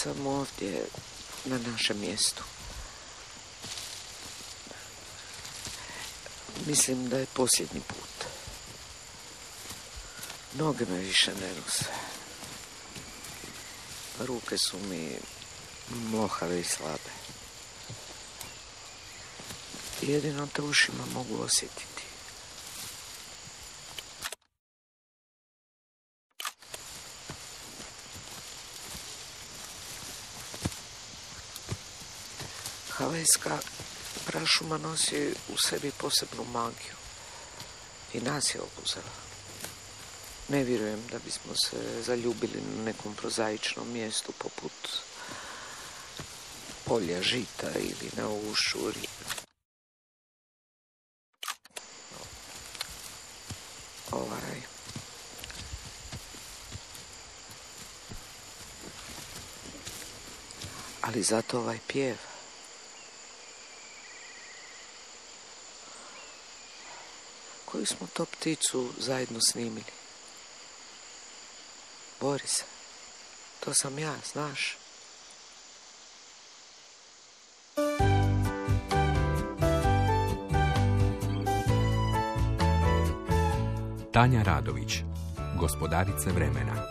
sam ovdje na našem mjestu. Mislim da je posljednji put. Noge me više ne nose. Ruke su mi mlohave i slabe. Jedino te ušima mogu osjetiti. Havajska prašuma nosi u sebi posebnu magiju i nas je obuzela. Ne vjerujem da bismo se zaljubili na nekom prozaičnom mjestu poput polja žita ili na ušu ribe. Ali zato ovaj pjev. Koju smo to pticu zajedno snimili? Boris, to sam ja, znaš. Tanja Radović, Gospodarice vremena.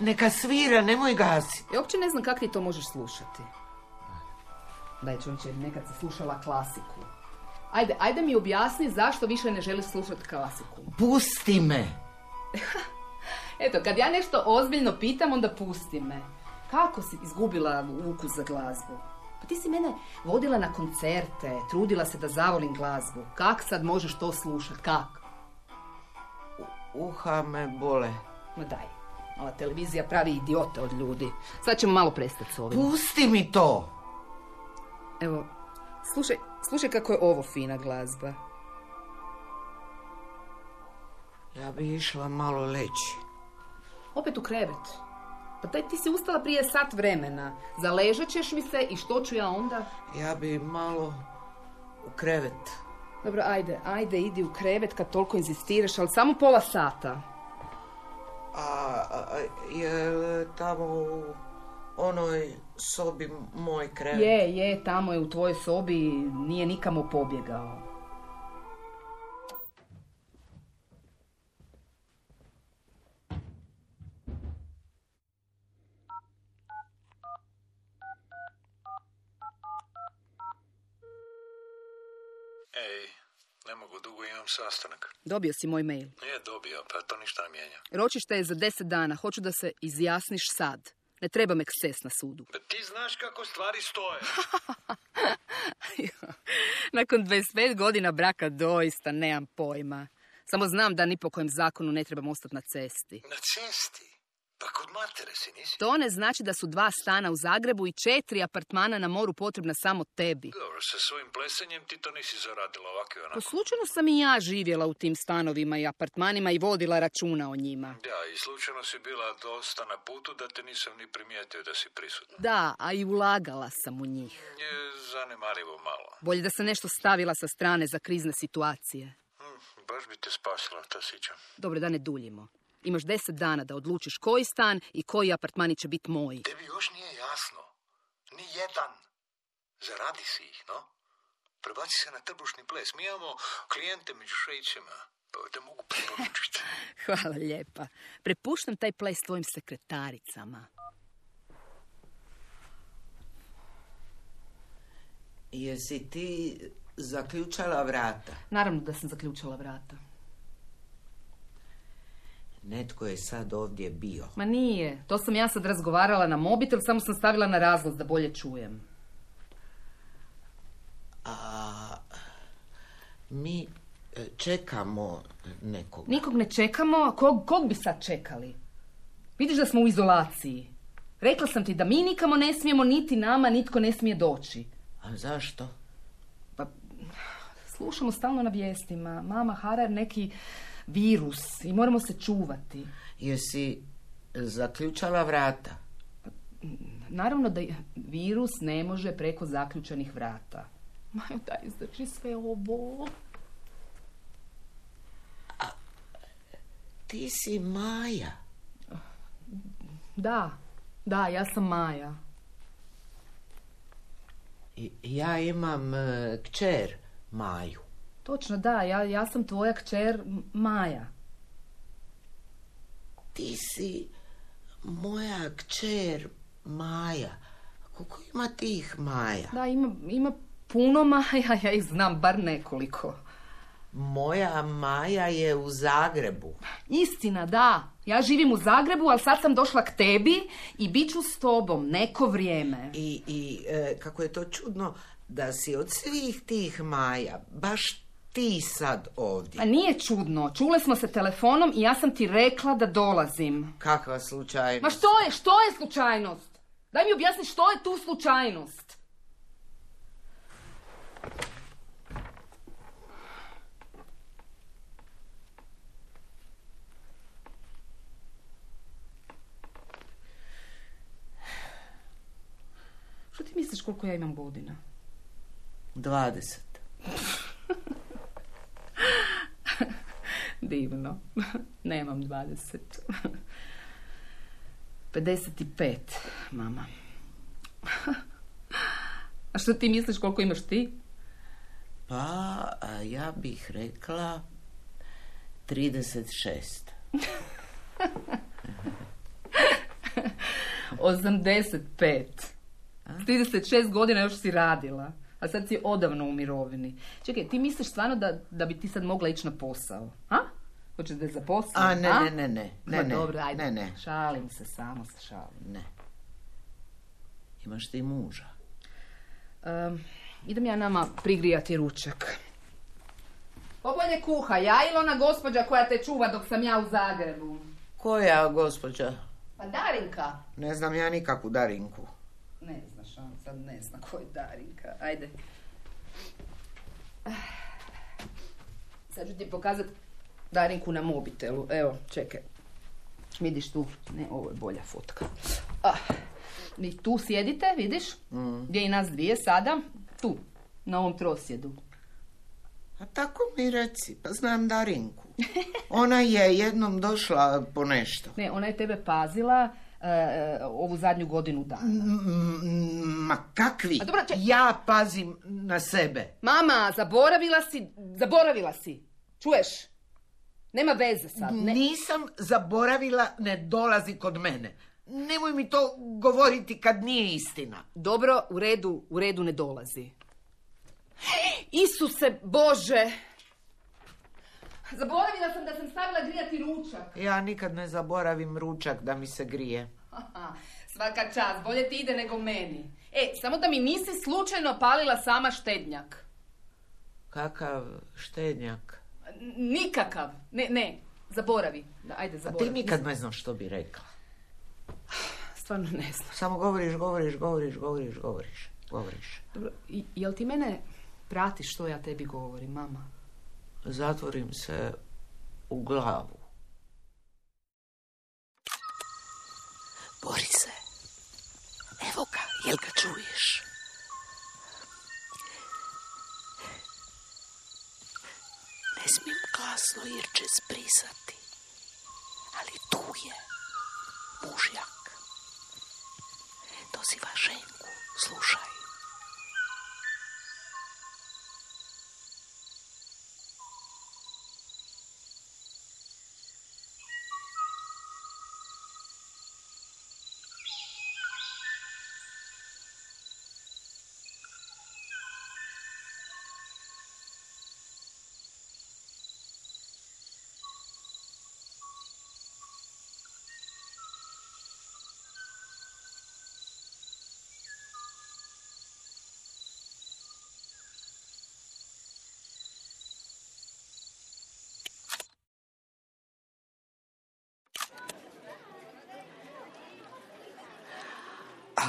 Neka svira, nemoj gasi. Ja uopće ne znam kako ti to možeš slušati. Daj, čovječe, nekad se slušala klasiku. Ajde mi objasni zašto više ne želiš slušati klasiku. Pusti me. Eto, kad ja nešto ozbiljno pitam, onda pusti me. Kako si izgubila ukus za glazbu? Pa ti si mene vodila na koncerte, trudila se da zavolim glazbu. Kak sad možeš to slušati? Kak? Uha me bole. Ma daj, ova televizija pravi idiote od ljudi. Sad ćemo malo prestati s ovim. Pusti mi to! Evo, slušaj kako je ovo fina glazba. Ja bi išla malo leći. Opet u krevet. Pa ti si ustala prije sat vremena. Zaležat ćeš mi se i što ću ja onda? Ja bi malo u krevet. Dobro, ajde, idi u krevet kad toliko inzistiraš, ali samo pola sata. Je tamo u onoj sobi moj krevet? Je, tamo je u tvojoj sobi, nije nikamo pobjegao. Ej, ne mogu, dugo imam sastanak. Dobio si moj mail. Nije dobio, pa to ništa ne mijenja. Ročište je za 10 dana, hoću da se izjasniš sad. Ne treba me eksces na sudu. Pa ti znaš kako stvari stoje. Nakon 25 godina braka doista nemam pojma. Samo znam da ni po kojem zakonu ne trebam ostati na cesti. Na cesti? Pa kod matere si nisi? To ne znači da su 2 stana u Zagrebu i 4 apartmana na moru potrebna samo tebi. Dobro, sa svojim plesenjem ti to nisi zaradila ovako i onako. Pa slučajno sam i ja živjela u tim stanovima i apartmanima i vodila računa o njima. Da, i slučajno si bila dosta na putu da te nisam ni primijetio da si prisutna. Da, a i ulagala sam u njih. Je zanemarivo malo. Bolje da sam nešto stavila sa strane za krizne situacije. Baš bi te spasila, to sićam. Dobro, da ne duljimo. Imaš 10 dana da odlučiš koji stan i koji apartmani će biti moji. Tebi još nije jasno. Ni jedan. Zaradi si ih, no? Prebaci se na trbušni ples. Mi imamo klijente među šećima. Pa te mogu preporučiti. Hvala lijepa. Prepuštam taj ples tvojim sekretaricama. Jesi ti zaključala vrata? Naravno da sam zaključala vrata. Netko je sad ovdje bio. Ma nije. To sam ja sad razgovarala na mobitel, samo sam stavila na razglas da bolje čujem. Mi čekamo nekog. Nikog ne čekamo. Kog bi sad čekali? Vidiš da smo u izolaciji. Rekla sam ti da mi nikamo ne smijemo, niti nama nitko ne smije doći. A zašto? Pa, slušamo stalno na vijestima. Mama hara neki virus i moramo se čuvati. Jesi zaključala vrata? Naravno da virus ne može preko zaključanih vrata. Majo, daj izdrži sve ovo. Ti si Maja. Da, ja sam Maja. Ja imam kćer Maju. Točno, da, ja sam tvoja kćer Maja. Ti si moja kćer Maja. Koliko ima tih Maja? Da, ima puno Maja, ja ih znam, bar nekoliko. Moja Maja je u Zagrebu. Istina, da. Ja živim u Zagrebu, ali sad sam došla k tebi i bit ću s tobom neko vrijeme. I kako je to čudno da si od svih tih Maja baš ti sad ovdje. A nije čudno. Čule smo se telefonom i ja sam ti rekla da dolazim. Kakva slučajnost? Ma što je slučajnost? Daj mi objasni što je tu slučajnost. Što ti misliš koliko ja imam godina? 20. Divno. Nemam 20. 55, mama. A što ti misliš koliko imaš ti? Pa, ja bih rekla 36. 85. 36 godina još si radila, a sad si odavno u mirovini. Čekaj, ti misliš stvarno da bi ti sad mogla ići na posao? A? Hoćeš da je zaposlim? Ne. Dobro, ajde. Ne. Šalim se, samo se šalim. Ne. Imaš ti muža? Idem ja nama prigrijati ručak. Pobolje kuha, ja ili ona gospođa koja te čuva dok sam ja u Zagrebu? Koja gospođa? Pa Darinka. Ne znam ja nikakvu Darinku. Ne znaš, on sad ne zna ko je Darinka. Ajde. Sad ću ti pokazati Darinku na mobitelu. Evo, čekaj. Vidiš tu? Ne, ovo je bolja fotka. Vi tu sjedite, vidiš? Gdje i nas dvije sada? Tu, na ovom trosjedu. A tako mi reci, pa znam Darinku. Ona je jednom došla po nešto. Ne, ona je tebe pazila ovu zadnju godinu dana. Ma kakvi? A dobro, ja pazim na sebe. Mama, zaboravila si. Čuješ? Nema veze sad. Ne. Nisam zaboravila, ne dolazi kod mene. Nemoj mi to govoriti kad nije istina. Dobro, u redu ne dolazi. Isuse Bože! Zaboravila sam da sam stavila grijati ručak. Ja nikad ne zaboravim ručak da mi se grije. Svaka čast, bolje ti ide nego meni. Samo da mi nisi slučajno palila sama štednjak. Kakav štednjak? Nikakav. Ne, zaboravi. Ajde, zaboravi. A ti nikad ne znaš što bi rekla. Stvarno ne znam. Samo govoriš. Dobro, jel ti mene pratiš što ja tebi govorim, mama? Zatvorim se u glavu. Borise, evo ga, jel ga čuješ? Ne smijem glasno jer će zbrisati, ali tu je mužjak. Doziva ženku, slušaj.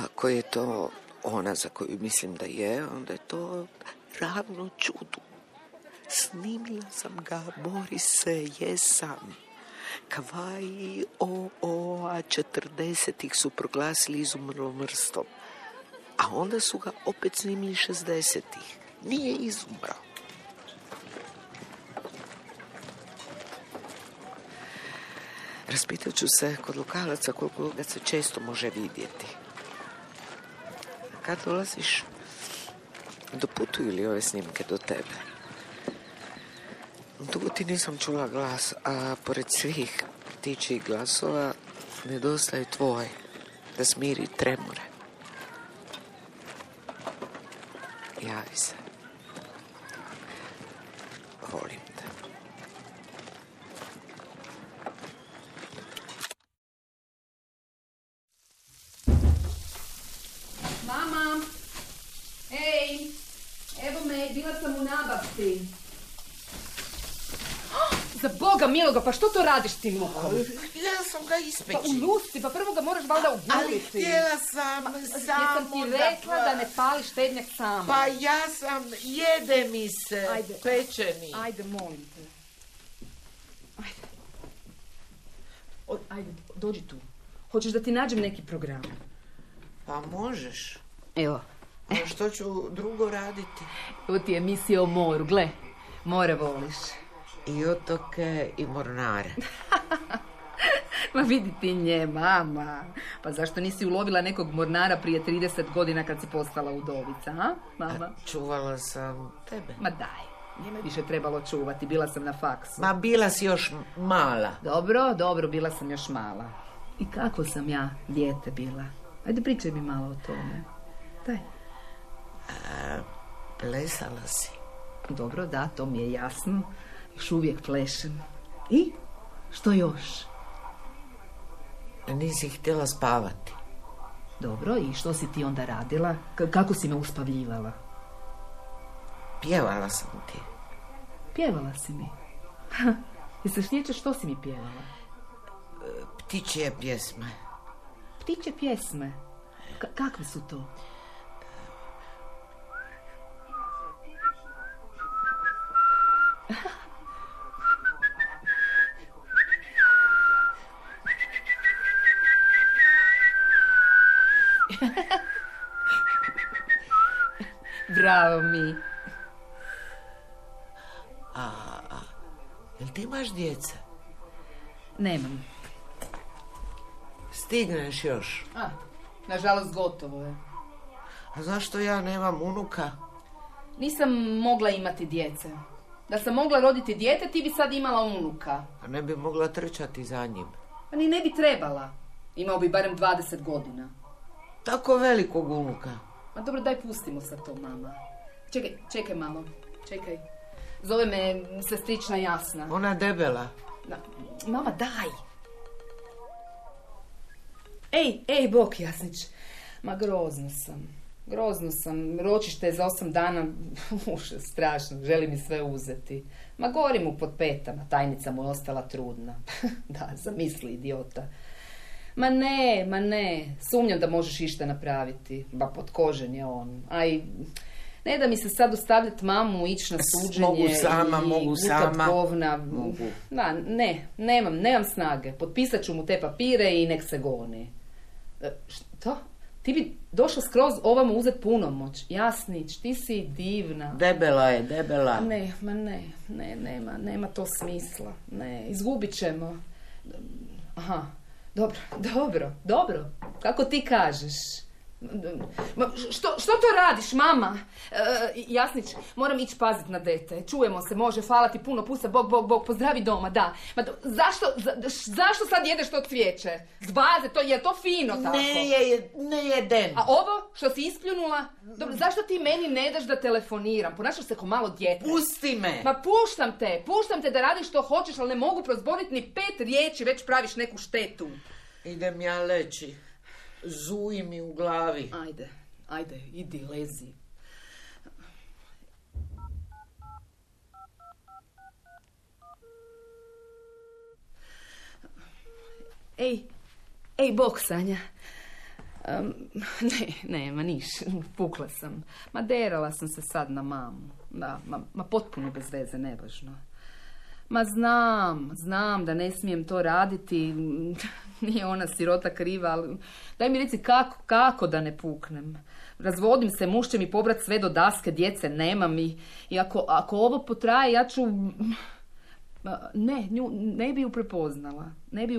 Ako je to ona za koju mislim da je, onda je to ravno čudu. Snimila sam ga, Borise, jesam. Kavaji a 40-ih su proglasili izumrlom vrstom. A onda su ga opet snimili 60-ih. Nije izumrao. Raspitat ću se kod lokalaca koliko ga se često može vidjeti. Kad dolaziš, doputuju li ove snimke do tebe? Dugo ti nisam čula glas, a pored svih ptičjih glasova nedostaje tvoj, da smiri tremore. Javi se. Volim te. Mama! Ej! Evo me, bila sam u nabavci. Za Boga miloga, pa što to radiš tim lukom? Ja sam ga ispeći. Pa ulusti, pa prvo ga moraš valjda uguliti. Ali htjela sam Jesam ti rekla da ne pališ štednjak sama. Pa ja sam, jede mi se, Ajde. pečeni. Ajde, molim te. Ajde. Ajde, dođi tu. Hoćeš da ti nađem neki program? Pa možeš. Evo. A što ću drugo raditi? Ovo ti je emisija o moru, gle. More voliš. I otoke i mornare. Ma vidi ti nje, mama. Pa zašto nisi ulovila nekog mornara prije 30 godina kad si postala udovica, a, mama? Čuvala sam tebe. Ma daj, nije me više trebalo čuvati, bila sam na faksu. Ma bila si još mala. Dobro, bila sam još mala. I kako sam ja dijete bila? Ajde pričaj mi malo o tome. Daj. Plesala si. Dobro, da, to mi je jasno. Još uvijek plešem. I? Što još? Nisi htjela spavati. Dobro, i što si ti onda radila? Kako si me uspavljivala? Pjevala sam ti. Pjevala si mi. I se sjećaš što si mi pjevala? Ptičje pjesme. Ptičje pjesme? Kakve su to? Bravo mi. Jel ti imaš djece? Nemam. Stigneš još. Nažalost gotovo je. A zašto ja nemam unuka? Nisam mogla imati djece. Da sam mogla roditi dijete, ti bi sad imala unuka. A ne bi mogla trčati za njim. Pa ni ne bi trebala. Imao bi barem 20 godina. Tako velikog unuka. Ma dobro, daj pustimo sad to, mama. Čekaj malo. Čekaj. Zove me sestrična Jasna. Ona debela. Mama, daj. Ej, bok, Jasnić. Ma grozno sam. Ročište je za 8 dana. Strašno. Želi mi sve uzeti. Ma gori mu pod petama. Tajnica mu je ostala trudna. Da, zamisli, idiota. Ma ne. Sumnjam da možeš išta napraviti. Ba potkožen je on. Ne da mi se sad ostavljati mamu, ići na suđenje. Mogu sama. Govna. Mogu. Da, nemam snage. Potpisat ću mu te papire i nek se goni. Što? Ti bi došla skroz ovamo uzet punomoć. Jasnić, ti si divna. Debela je. Nema to smisla. Ne, izgubit ćemo. Aha, dobro. Kako ti kažeš? Što to radiš, mama? Jasnić, moram ići pazit na dete. Čujemo se, može, hvala ti puno, pusa, bog, pozdravi doma, da. Ma zašto sad jedeš to cvijeće? Zbaze, je to fino tako? Ne jedem. A ovo što si ispljunula? Dobro, zašto ti meni ne daš da telefoniram? Ponašaš se ko malo dijete. Pusti me. Ma puštam te da radiš što hoćeš, ali ne mogu prozboriti ni 5 riječi, već praviš neku štetu. Idem ja leći. Zuji mi u glavi. Ajde, idi, lezi. Ej, bok, Sanja. Ma niš, pukla sam. Ma derala sam se sad na mamu. Da, ma potpuno bez veze, nevažno. Ma znam da ne smijem to raditi. Nije ona sirota kriva, ali daj mi reci kako da ne puknem. Razvodim se, muž će mi pobrat sve do daske, djece nemam i ako ovo potraje, ja ću... Ne, nju ne bi ju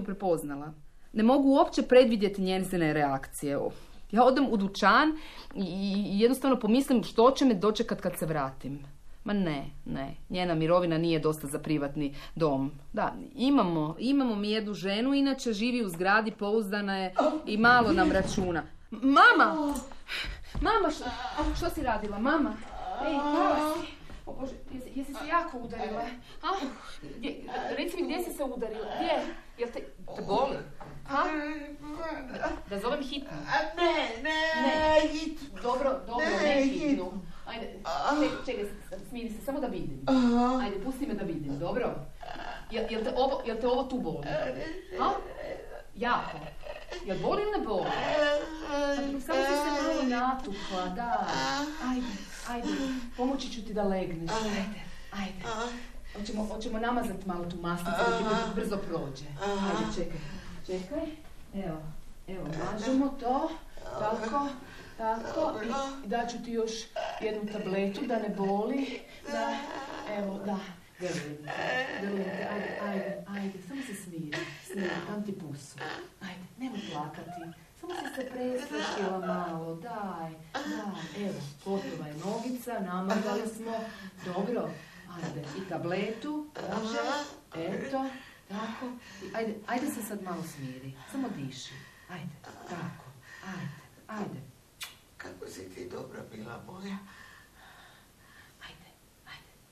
prepoznala. Ne mogu uopće predvidjeti njezine reakcije. Ja odem u dućan i jednostavno pomislim što će me dočekat kad se vratim. Ma ne, njena mirovina nije dosta za privatni dom. Da, imamo mi jednu ženu, inače živi u zgradi, pouzdana je i malo nam računa. Mama, što si radila, mama? Ej, pala si. O Bože, jesi se jako udarila? Reci mi, gdje si se udarila? Gdje? Jel te boli? Da zovem hitnu? Ne, hitnu. Dobro, ne hitnu. Ajde, čekaj, smiri se, samo da vidim. Ajde, pusti me da vidim, dobro? Jel te ovo tu boli? Jako? Jel boli ili ne boli? Samo si se malo natukla, da. Ajde, pomoći ću ti da legneš. Ajde. Hoćemo namazati malo tu masnicu da ti brzo prođe. Ajde, čekaj. Evo, mažemo to. Tako. I daću ti još jednu tabletu da ne boli. Da. Grlim te, ajde, samo se smiri, dam ti pusu. Ajde, nemoj plakati, samo si se presvršila malo, daj, evo, gotova je nogica, namazali smo, dobro, ajde, i tabletu, može, eto, tako, ajde se sad malo smiri, samo diši, ajde, tako, ajde. Kako si ti dobra bila moja? Ajde,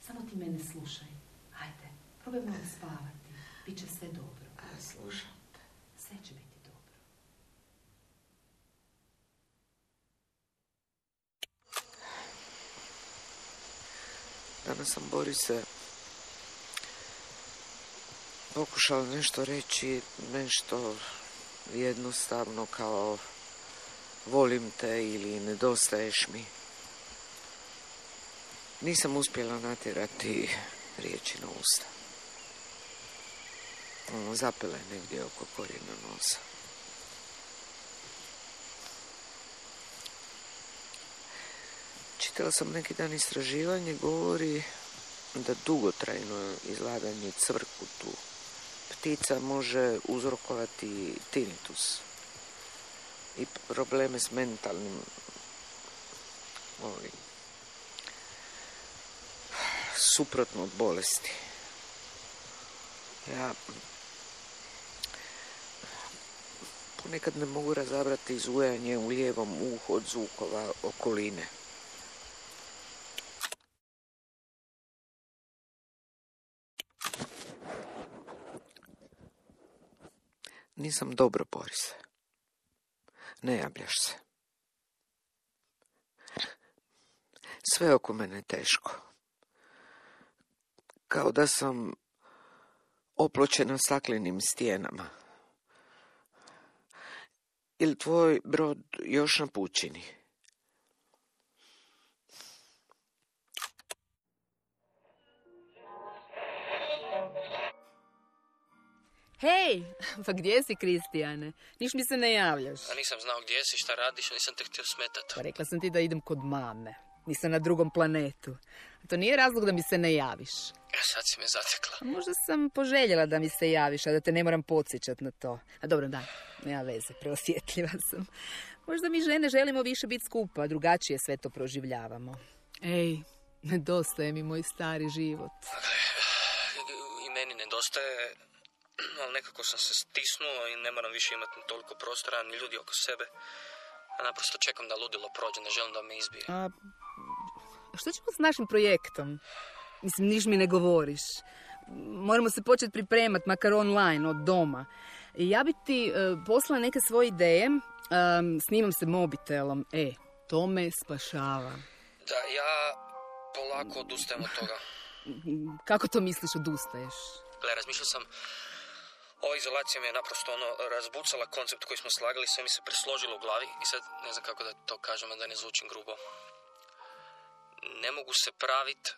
samo ti mene slušaj. Ajde, probaj malo spavati. Biće sve dobro. Slušam te. Sve će biti dobro. Danas sam Borise pokušala nešto reći, nešto jednostavno kao volim te ili nedostaješ mi. Nisam uspjela natjerati riječi na usta. Zapela je negdje oko korijena nosa. Čitala sam neki dan istraživanje, govori da dugotrajno izlaganje cvrkutu ptica može uzrokovati tinnitus i probleme s mentalnim suprotno od bolesti. Ja ponekad ne mogu razabrati zujanje u lijevom uhu od zvukova okoline. Nisam dobro, Borise. Ne javljaš se. Sve oko mene je teško. Kao da sam opločena staklenim stijenama. Ili tvoj brod još na pučini? Hej, pa gdje si, Kristijane? Niš mi se ne javljaš. A nisam znao gdje si, šta radiš, a nisam te htio smetati. Pa rekla sam ti da idem kod mame. Nisam na drugom planetu. To nije razlog da mi se ne javiš. Sad si me zatekla. Možda sam poželjela da mi se javiš, a da te ne moram podsjećat na to. A dobro, da, nema veze, preosjetljiva sam. Možda mi žene želimo više biti skupa, drugačije sve to proživljavamo. Ej, nedostaje mi moj stari život. I meni nedostaje, ali nekako sam se stisnuo i ne moram više imati toliko prostora, ni ljudi oko sebe. A naprosto čekam da ludilo prođe, ne želim da me izbije. A što ćemo s našim projektom? Mislim, niš mi ne govoriš. Moramo se početi pripremati, makar online, od doma. Ja bi ti poslala neke svoje ideje, snimam se mobitelom. To me spašava. Da, ja polako odustajem od toga. Kako to misliš odustaješ? Gle, razmišljao sam, ova izolacija mi je naprosto razbucala koncept koji smo slagali, sve mi se presložilo u glavi i sad ne znam kako da to kažem, da ne zvučim grubo. Ne mogu se praviti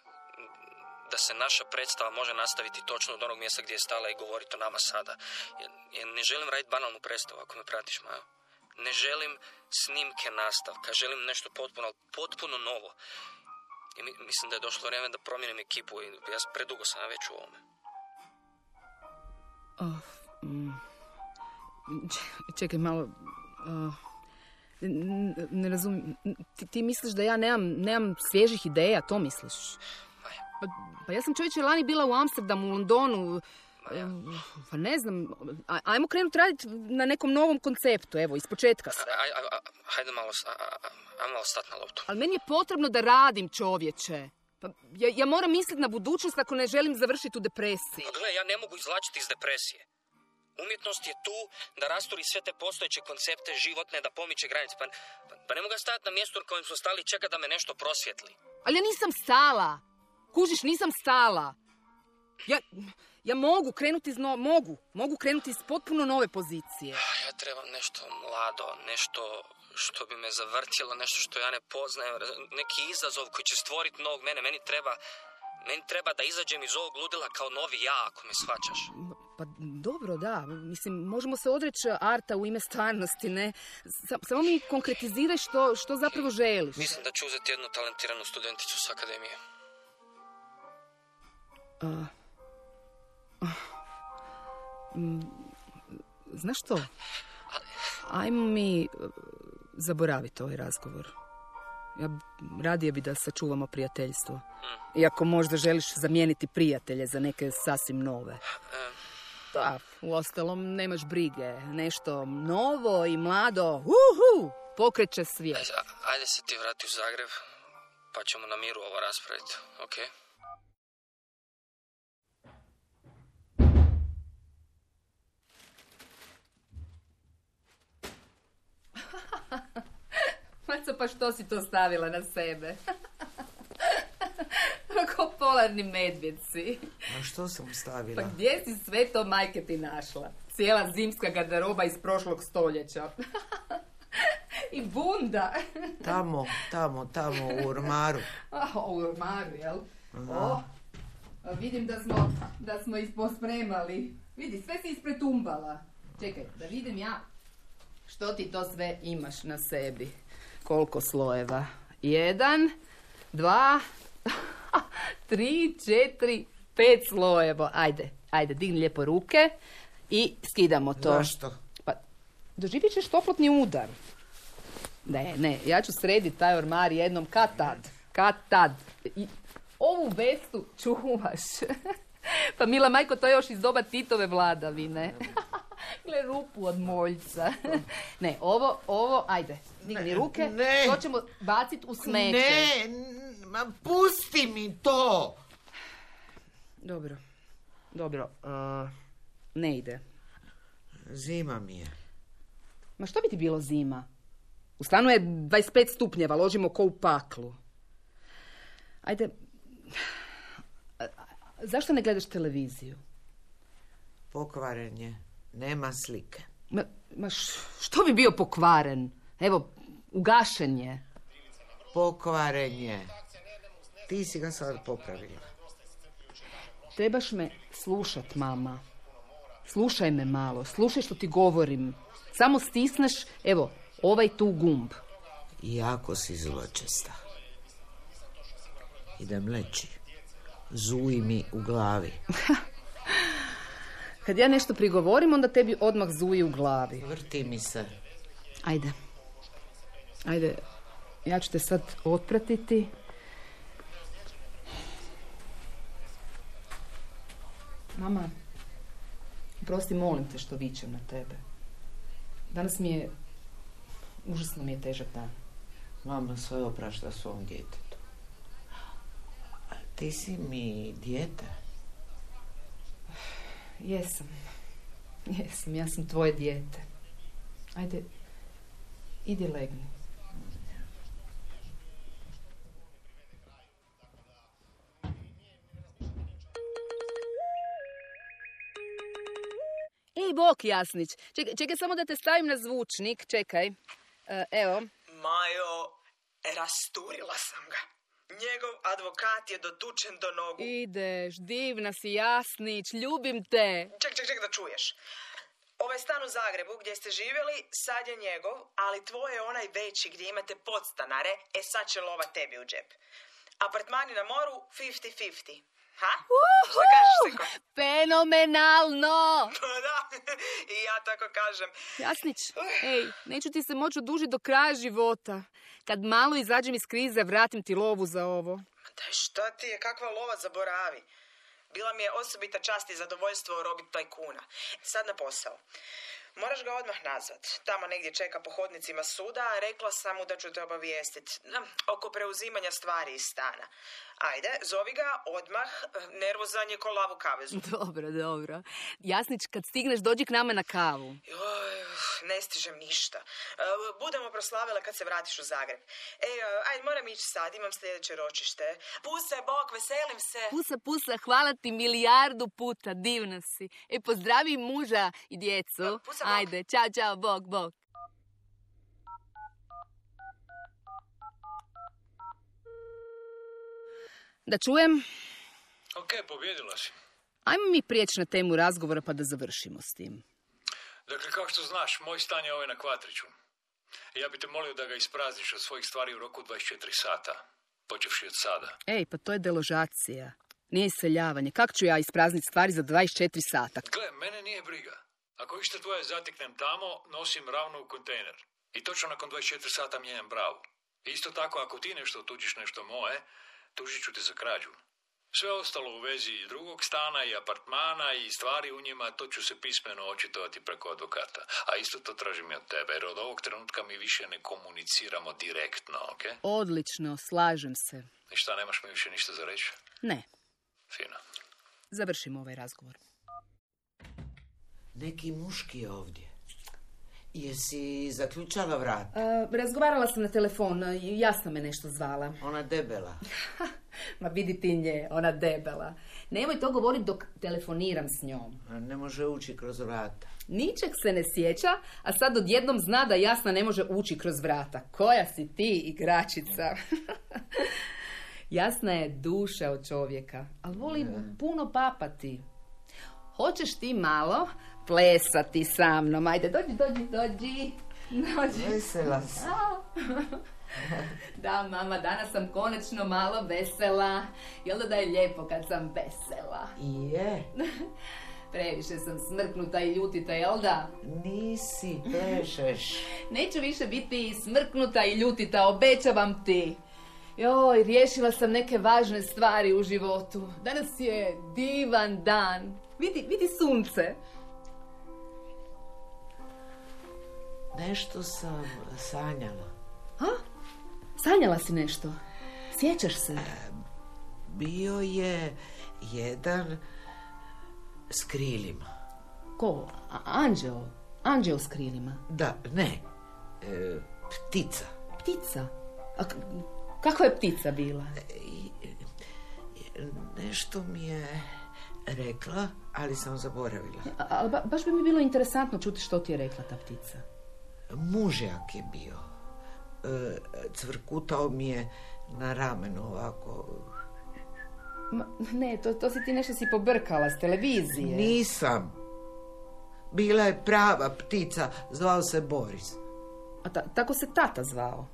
da se naša predstava može nastaviti točno od onog mjesta gdje je stala i govoriti o nama sada. Ja ne želim raditi banalnu predstavu, ako me pratiš, Majo. Ne želim snimke nastavka, želim nešto potpuno novo. I mislim da je došlo vrijeme da promijenim ekipu i ja predugo sam već u ovome. Čekaj malo... Ne razumijem. Ti misliš da ja nemam svježih ideja, to misliš? Pa ja sam čovječe lani bila u Amsterdamu, u Londonu. Pa ne znam, ajmo krenuti raditi na nekom novom konceptu, evo, ispočetka. Hajde malo stati na loptu. Ali meni je potrebno da radim, čovječe. Pa ja moram misliti na budućnost ako ne želim završiti u depresiji. Pa gle, ja ne mogu izvlačiti iz depresije. Umjetnost je tu da rasturi sve te postojeće koncepte životne, da pomiče granice. Pa ne mogu stajati na mjestu na kojem smo stali i čekati da me nešto prosvjetli. Ali ja nisam stala. Kužiš, nisam stala. Ja mogu krenuti mogu krenuti iz potpuno nove pozicije. Ja trebam nešto mlado, nešto što bi me zavrtilo, nešto što ja ne poznajem, neki izazov koji će stvoriti novog mene. Meni treba da izađem iz ovog ludila kao novi ja, ako me shvaćaš. Pa dobro, da. Mislim, možemo se odreći arta u ime stvarnosti, ne? Samo mi konkretiziraj što zapravo želiš. Mislim da ću uzeti jednu talentiranu studenticu s akademije. Znaš što? Ajmo mi zaboraviti ovaj razgovor. Ja radije bi da sačuvamo prijateljstvo. Iako možda želiš zamijeniti prijatelje za neke sasvim nove. Da, uostalom nemaš brige. Nešto novo i mlado. Pokreće svijet. Ajde se ti vrati u Zagreb, pa ćemo na miru ovo raspraviti, okej? Maco, pa što si to stavila na sebe? Ko polarni medvjedci. A što sam stavila? Pa gdje si sve to majke ti našla? Cijela zimska garderoba iz prošlog stoljeća. I bunda. Tamo, u ormaru. U ormaru, jel? Vidim da smo ispospremali. Vidi, sve si ispretumbala. Čekaj, da vidim ja što ti to sve imaš na sebi. Koliko slojeva? 1, 2, 3, 4, 5 slojeva. Ajde, digni lijepo ruke i skidamo to. Zašto? Pa, doživjet ćeš toplotni udar. Ne, ja ću srediti taj ormar jednom kad tad. I ovu vestu čuvaš. Pa mila majko, to je još iz doba Titove vladavine. Gle, rupu od moljca. Ne, ovo, ajde, digni ruke. To ćemo baciti u smeće. Ma pusti mi to! Dobro. Ne ide. Zima mi je. Ma što bi ti bilo zima? U stanu je 25 stupnjeva, ložimo ko u paklu. Ajde, zašto ne gledaš televiziju? Pokvaren je, nema slike. Ma što bi bio pokvaren? Evo, ugašen je. Pokvaren je. Ti si ga sad popravila. Trebaš me slušat, mama. Slušaj me malo, slušaj što ti govorim. Samo stisneš, evo, ovaj tu gumb. Jako si zločesta. Idem leći. Zuji mi u glavi. Kad ja nešto prigovorim, onda tebi odmah zuji u glavi. Vrti mi se. Ajde, ja ću te sad otpratiti. Mama, prosti, molim te što vičem na tebe. Danas užasno mi je težak dan. Mama sve oprašta svom djetetu. A ti si mi dijete. Jesam, ja sam tvoje dijete. Ajde, idi legni. Ej, bok, Jasnić. Čekaj samo da te stavim na zvučnik. Čekaj. Evo. Majo, rasturila sam ga. Njegov advokat je dotučen do nogu. Ideš, divna si, Jasnić, ljubim te. Ček da čuješ. Ovaj stan u Zagrebu gdje ste živjeli, sad je njegov, ali tvoj je onaj veći gdje imate podstanare, sad će lova tebi u džep. Apartmani na moru, 50-50. Ha? Šta kažeš, Seko? Fenomenalno! Da, i ja tako kažem. Jasnić, ej, neću ti se moći odužiti do kraja života. Kad malo izađem iz krize, vratim ti lovu za ovo. Daj, šta ti je, kakva lova, zaboravi. Bila mi je osobita čast i zadovoljstvo robiti tajkuna. Sad na posao. Moraš ga odmah nazvat. Tamo negdje čeka po hodnicima suda, a rekla sam mu da ću te obavijestiti oko preuzimanja stvari iz stana. Ajde, zovi ga odmah, nervozan je ko lav u kavezu. Dobro. Jasnić, kad stigneš, dođi k nama na kavu. Joj, ne stižem ništa. Budemo proslavile kad se vratiš u Zagreb. Ajde, moram ići sad, imam sljedeće ročište. Puse, bok, veselim se. Pusa, hvala ti milijardu puta, divna si. Pozdravi muža i djecu. Pusa, bok. Ajde, čao, bok. Da čujem? Ok, pobjedila si. Ajmo mi prijeći na temu razgovora pa da završimo s tim. Dakle, kao što znaš, moj stan je ovaj na Kvatriću. Ja bi te molio da ga isprazniš od svojih stvari u roku 24 sata. Počevši od sada. Ej, pa to je deložacija. Nije iseljavanje. Kako ću ja isprazniti stvari za 24 sata? Gle, mene nije briga. Ako išta tvoje zateknem tamo, nosim ravno u kontejner. I točno nakon 24 sata mijenjam bravu. Isto tako, ako ti nešto otuđiš nešto moje, tužit ću te za krađu. Sve ostalo u vezi drugog stana i apartmana i stvari u njima, to ću se pismeno očitovati preko advokata. A isto to tražim i od tebe, jer od ovog trenutka mi više ne komuniciramo direktno, ok? Odlično, slažem se. I šta, nemaš mi više ništa za reći? Ne, Fino. završimo ovaj razgovor. Neki muški ovdje. Jesi zaključala vrat? Razgovarala sam na telefon, jasno me nešto zvala. Ona debela. Ma vidi ti nje, ona debela. Nemoj to govoriti dok telefoniram s njom. Ne može ući kroz vrata. Ničeg se ne sjeća, a sad odjednom zna da Jasna ne može ući kroz vrata. Koja si ti, igračica? Jasna je duša od čovjeka, ali voli puno papati. Hoćeš ti malo plesati sa mnom? Ajde, dođi. Vesela si. Da, mama, danas sam konačno malo vesela. Jel da je lijepo kad sam vesela? Je. Previše sam smrknuta i ljutita, jel da? Nisi, plešeš. Neću više biti smrknuta i ljutita, obećavam ti. Joj, riješila sam neke važne stvari u životu. Danas je divan dan. Vidi sunce. Nešto sam sanjala. Ha? Sanjala si nešto? Sjećaš se? Bio je jedan s krilima. Ko? Anđeo? Anđeo s krilima? Da, ne. Ptica. Ptica? A kakva je ptica bila? Nešto mi je rekla, ali sam zaboravila. Ali baš bi mi bilo interesantno čuti što ti je rekla ta ptica. Mužjak je bio. Cvrkutao mi je na ramenu ovako. Ne, to si ti nešto si pobrkala s televizije. Nisam. Bila je prava ptica, zvao se Boris. A tako se tata zvao?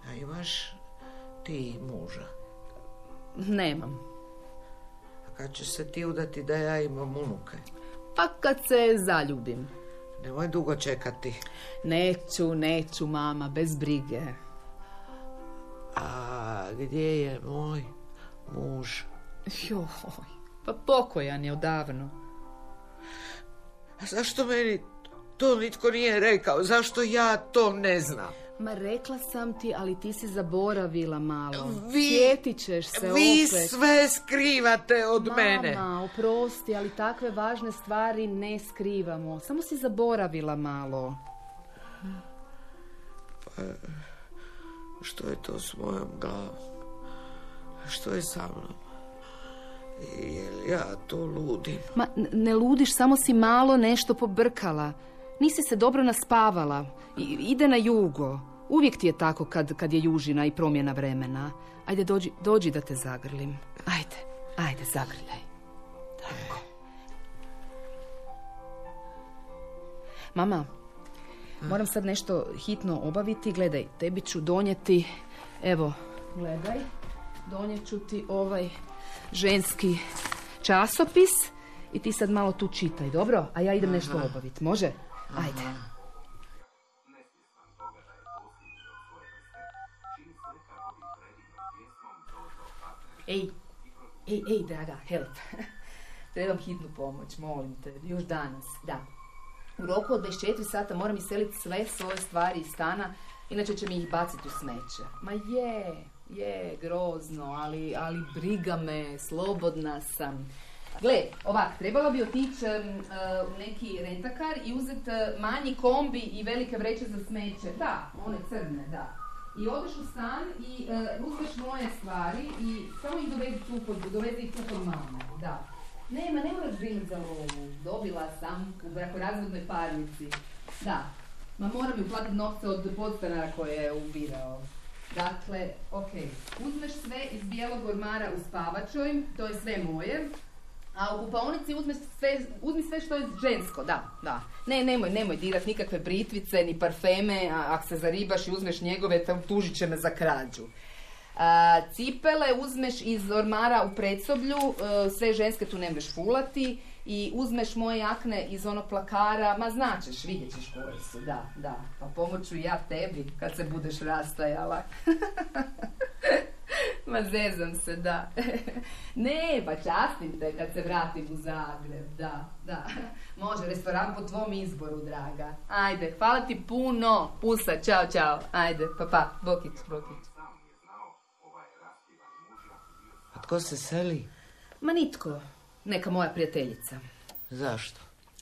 A imaš ti muža? Nemam. A kad ćeš se ti udati da ja imam unuke? Pa kad se zaljubim. Nemoj dugo čekati. Neću, mama, bez brige. A gdje je moj muž? Joj, pa pokojan je odavno. A zašto meni to nitko nije rekao? Zašto ja to ne znam? Ma rekla sam ti, ali ti si zaboravila malo. Vi Sjetit ćeš se opet. sve skrivate od mene. Mama, oprosti, ali takve važne stvari ne skrivamo. Samo si zaboravila malo. Pa, što je to s mojom glavom? Što je sa mnom? Jel ja to ludim? Ma, ne ludiš, samo si malo nešto pobrkala. Nisi se dobro naspavala. Ide na jugo. Uvijek ti je tako kad je južina i promjena vremena. Ajde, dođi da te zagrlim. Ajde, zagrljaj. Tako. Mama, moram sad nešto hitno obaviti. Gledaj, tebi ću donijeti... Evo, gledaj. donijet ću ti ovaj ženski časopis i ti sad malo tu čitaj, dobro? A ja idem nešto obaviti, može? Ajde. Ej, draga, help. Trebam hitnu pomoć, molim te, još danas, da. U roku od 24 sata moram iseliti sve svoje stvari iz stana, inače će mi ih baciti u smeće. Ma je, grozno, ali briga me, slobodna sam. Gle, ovak, trebala bi otići u neki rentakar i uzeti manji kombi i velike vreće za smeće. Da, one crne, da. I odeš u stan i uzmeš moje stvari i samo ih dovedi ih tu kod mame, da. Ne moraš brinuti za lovu. Dobila sam u brakorazvodnoj parnici. Da. Ma moram mi uplatiti novce od podstanara koje je ubirao. Dakle, uzmeš sve iz bijelog ormara u spavačoj, to je sve moje. A u kupaonici uzmi sve što je žensko, da. Nemoj dirat nikakve britvice, ni parfeme, ako se zaribaš i uzmeš njegove, tužit će me za krađu. Cipele uzmeš iz ormara u predsoblju, sve ženske tu ne možeš fulati, i uzmeš moje jakne iz onog plakara, ma značeš, vidjet ćeš koje su, da. Pa pomoću ja tebi kad se budeš rastajala. Ma zezam se, da. Ne, pa častim te kad se vratim u Zagreb, da. Može, restoran po tvom izboru, draga. Ajde, hvala ti puno. Pusa, čao. Ajde, pa, bokić. A tko se seli? Ma nitko. Neka moja prijateljica. Zašto?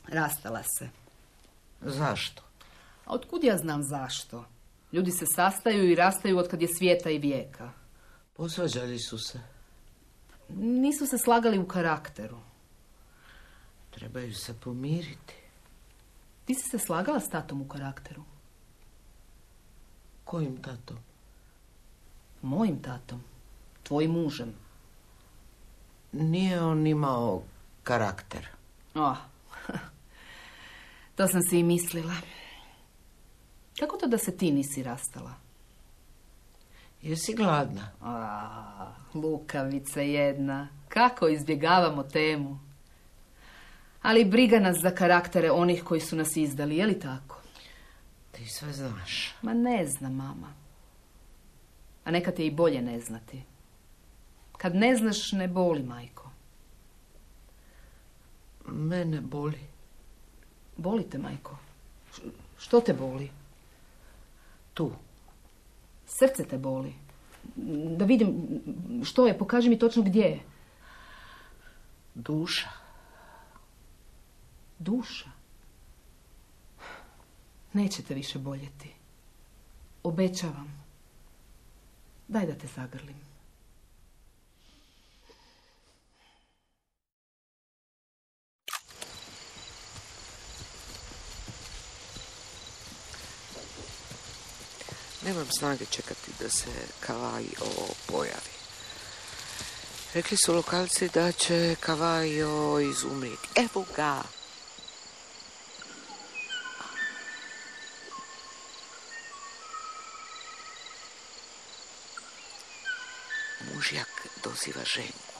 Rastala se. Zašto? A otkud ja znam zašto? Ljudi se sastaju i rastaju od kad je svijeta i vijeka. Posvađali su se. Nisu se slagali u karakteru. Trebaju se pomiriti. Ti si se slagala s tatom u karakteru? Kojim tatom? Mojim tatom. Tvojim mužem. Nije on imao karakter. To sam si i mislila. Kako to da se ti nisi rastala? Jesi gladna? Lukavica jedna. Kako izbjegavamo temu. Ali briga nas za karaktere onih koji su nas izdali, je li tako? Ti sve znaš. Ma ne znam, mama. A nekad je i bolje ne znati. Kad ne znaš, ne boli, majko. Mene boli. Boli te, majko? Što te boli? Tu. Srce te boli. Da vidim što je, pokaži mi točno gdje je. Duša. Duša? Neće te više boljeti. Obećavam. Daj da te zagrlim. Nemam snage čekati da se Kavajo pojavi. Rekli su lokalci da će Kavajo izumriti. Evo ga! Mužjak doziva ženku.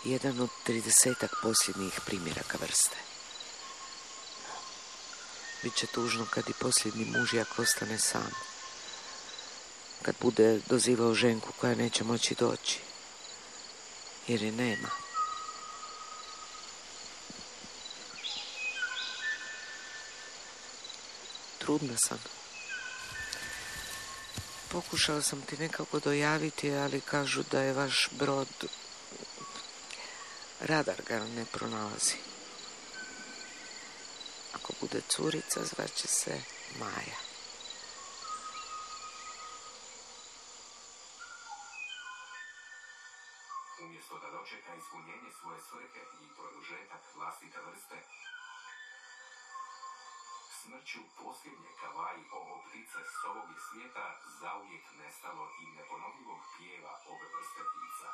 Jedan od 30-ak posljednjih primjeraka vrste. Biće tužno kad i posljednji mužjak ostane sam. Kad bude dozivao ženku koja neće moći doći. Jer je nema. Trudna sam. Pokušala sam ti nekako dojaviti, ali kažu da je vaš brod... Radar ga ne pronalazi. Ako bude curica, zvaće se Maja. Umjesto da dočeka ispunjenje svoje svrhe i produžetak vlastite vrste, smrću posljednje Kavaji ovo ptice s ovog je svijeta zauvijek nestalo i neponovljivog pjeva ove vrste ptica.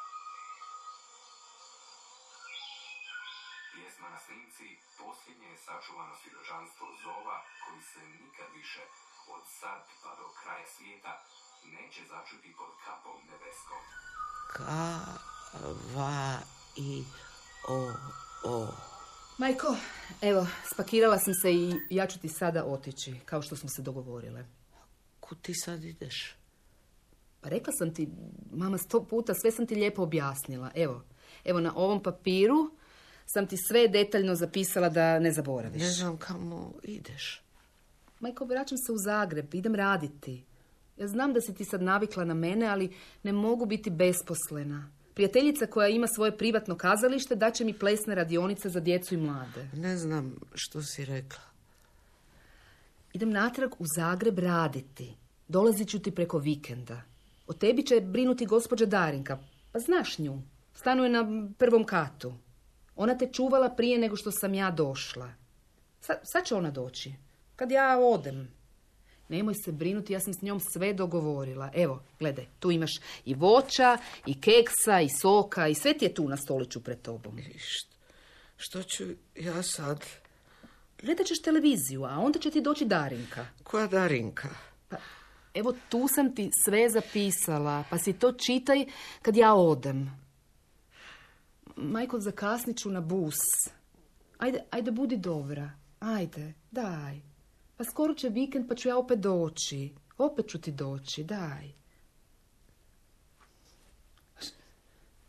Pjesma na snimci posljednje je sačuvano svjedočanstvo zova koji se nikad više od sad pa do kraja svijeta neće začuti pod kapom nebeskom. K-V-I-O-O. Majko, evo, spakirala sam se i ja ću ti sada otići, kao što smo se dogovorile. Kud ti sad ideš? Pa rekla sam ti, mama, 100 puta, sve sam ti lijepo objasnila. Evo na ovom papiru sam ti sve detaljno zapisala da ne zaboraviš. Ne znam kamo ideš. Majko, vraćam se u Zagreb, idem raditi. Ja znam da si ti sad navikla na mene, ali ne mogu biti besposlena. Prijateljica koja ima svoje privatno kazalište daće mi plesne radionice za djecu i mlade. Ne znam što si rekla. Idem natrag u Zagreb raditi. Dolazit ću ti preko vikenda. O tebi će brinuti gospođa Darinka. Pa znaš nju. Stanuje na 1. katu. Ona te čuvala prije nego što sam ja došla. Sad će ona doći. Kad ja odem. Nemoj se brinuti, ja sam s njom sve dogovorila. Evo, gledaj, tu imaš i voća, i keksa, i soka, i sve ti je tu na stoliću pred tobom. Što ću ja sad? Gledat ćeš televiziju, a onda će ti doći Darinka. Koja Darinka? Pa, evo, tu sam ti sve zapisala, pa si to čitaj kad ja odem. Majko, zakasnit ću na bus. Ajde, budi dobra. Ajde, daj. Pa skoro će vikend, pa ću ja opet doći. Opet ću ti doći, daj.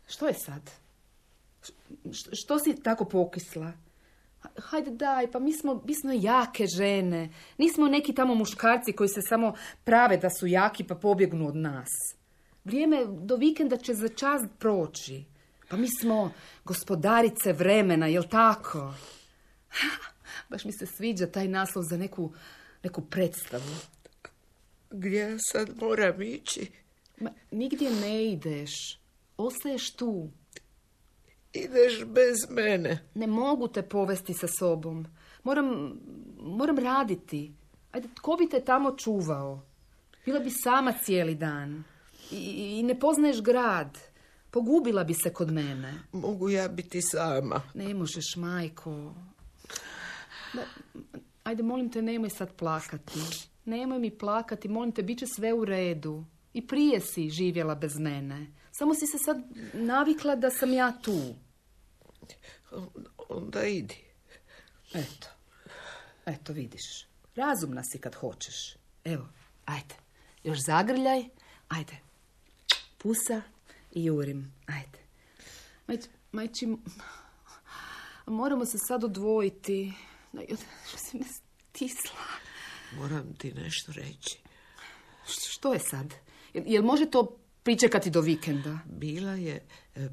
Što je sad? Što si tako pokisla? Hajde, daj, pa mi smo jake žene. Nismo neki tamo muškarci koji se samo prave da su jaki pa pobjegnu od nas. Vrijeme do vikenda će za čas proći. Pa mi smo gospodarice vremena, jel tako? Baš mi se sviđa taj naslov za neku predstavu. Gdje ja sad moram ići? Ma, nigdje ne ideš. Ostaješ tu. Ideš bez mene. Ne mogu te povesti sa sobom. Moram raditi. Ajde, tko bi te tamo čuvao? Bila bi sama cijeli dan. I ne poznaješ grad. Pogubila bi se kod mene. Mogu ja biti sama? Ne možeš, majko. Ajde, molim te, nemoj sad plakati. Nemoj mi plakati, molim te, bit će sve u redu. I prije si živjela bez mene. Samo si se sad navikla da sam ja tu. Onda idi. Eto, vidiš. Razumna si kad hoćeš. Evo, ajde. Još zagrljaj. Ajde. Pusa i jurim. Ajde. Majči, moramo se sad odvojiti. Što si me stisla? Moram ti nešto reći. Što je sad? Jel može to pričekati do vikenda? Bila je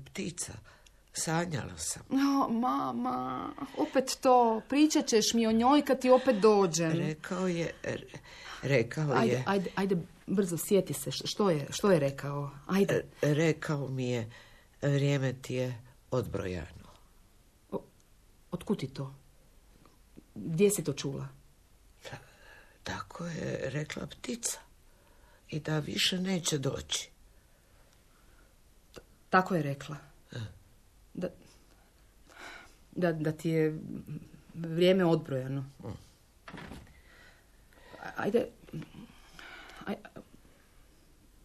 ptica. Sanjala sam. No, mama, opet to. Pričat ćeš mi o njoj kad ti opet dođem. Rekao je... Ajde, brzo, sjeti se. Što je rekao? Ajde. Rekao mi je, vrijeme ti je odbrojano. Otkud ti to? Gdje si to čula? Tako je rekla ptica. I da više neće doći. Tako je rekla? Da ti je vrijeme odbrojano. Ajde.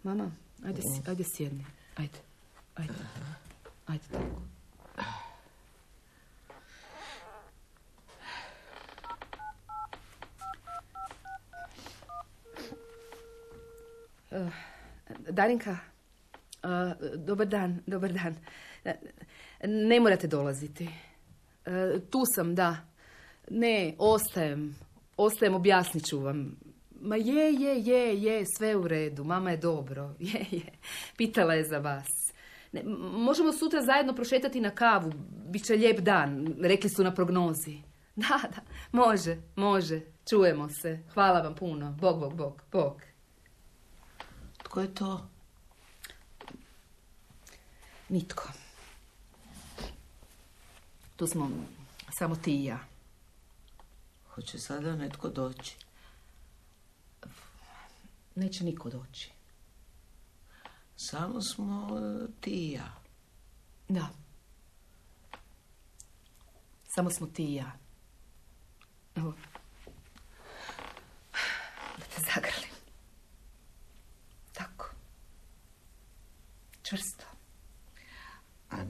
Mama, ajde sjedni. Ajde tako. Darinka, dobar dan. Ne morate dolaziti. Tu sam, da. Ne, ostajem, objasnit ću vam. Ma je, sve u redu, mama je dobro. Je, pitala je za vas. Ne, možemo sutra zajedno prošetati na kavu, Biće lijep dan, rekli su na prognozi. Da, može, čujemo se. Hvala vam puno, Bog. Tko je to? Nitko. Tu smo samo ti i ja. Hoće sada netko doći? Neće niko doći. Samo smo ti i ja. Da. Samo smo ti i ja. Evo. Da te zagrlim. Tako. Čvrsto.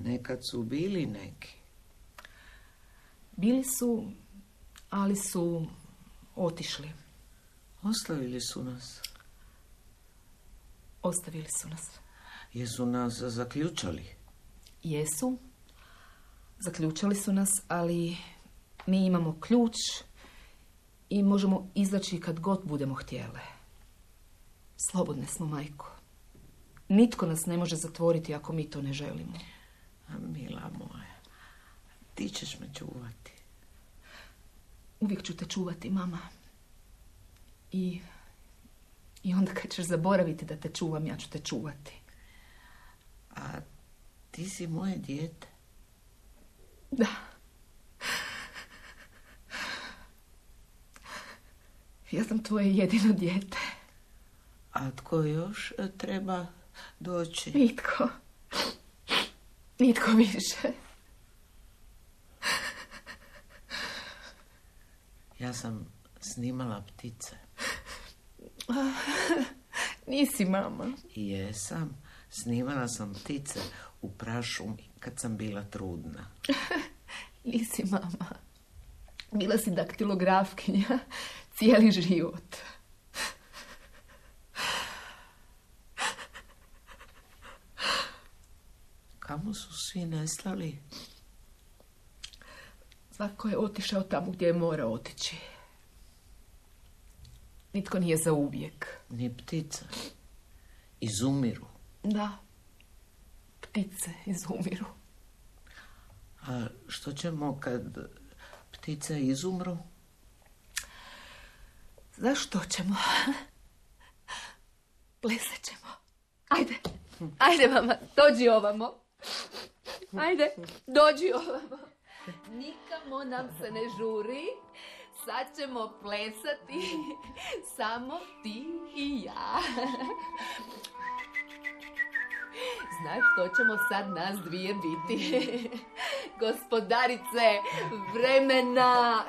nekad su bili neki. Bili su, ali su otišli. Ostavili su nas. Ostavili su nas. Jesu nas zaključali? Jesu. Zaključali su nas, ali mi imamo ključ i možemo izaći kad god budemo htjele. Slobodne smo, majko. Nitko nas ne može zatvoriti ako mi to ne želimo. A mila moja, ti ćeš me čuvati. Uvijek ću te čuvati, mama. I onda kad ćeš zaboraviti da te čuvam, ja ću te čuvati. A ti si moje dijete. Da. Ja sam tvoje jedino dijete. A tko još treba doći? Nitko. Nitko više. Ja sam snimala ptice. Nisi, mama. Jesam. Snimala sam ptice u prašumi kad sam bila trudna. Nisi, mama. Bila si daktilografkinja cijeli život. Kamo su svi nestali? Svako je otišao tamo gdje je morao otići. Nitko nije za uvijek. Ni ptica. Izumiru. Da. Ptice izumiru. A što ćemo kad ptice izumru? Zašto ćemo? Plesat ćemo. Ajde. Ajde, mama, dođi ovamo. Ajde, dođi ovamo. Nikamo nam se ne žuri. Sad ćemo plesati. Samo ti i ja. Znaš što ćemo sad nas dvije biti? Gospodarice vremena.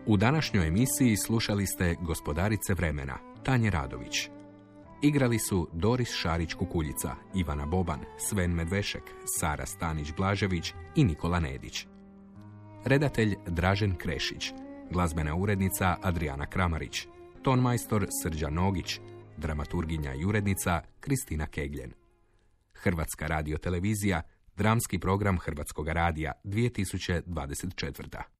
U današnjoj emisiji slušali ste Gospodarice vremena, Tanje Radović. Igrali su Doris Šarić-Kukuljica, Ivana Boban, Sven Medvešek, Sara Stanić-Blažević i Nikola Nedić. Redatelj Dražen Krešić, glazbena urednica Adriana Kramarić, tonmajstor Srđan Nogić, dramaturginja i urednica Kristina Kegljen. Hrvatska radiotelevizija, dramski program Hrvatskog radija 2024.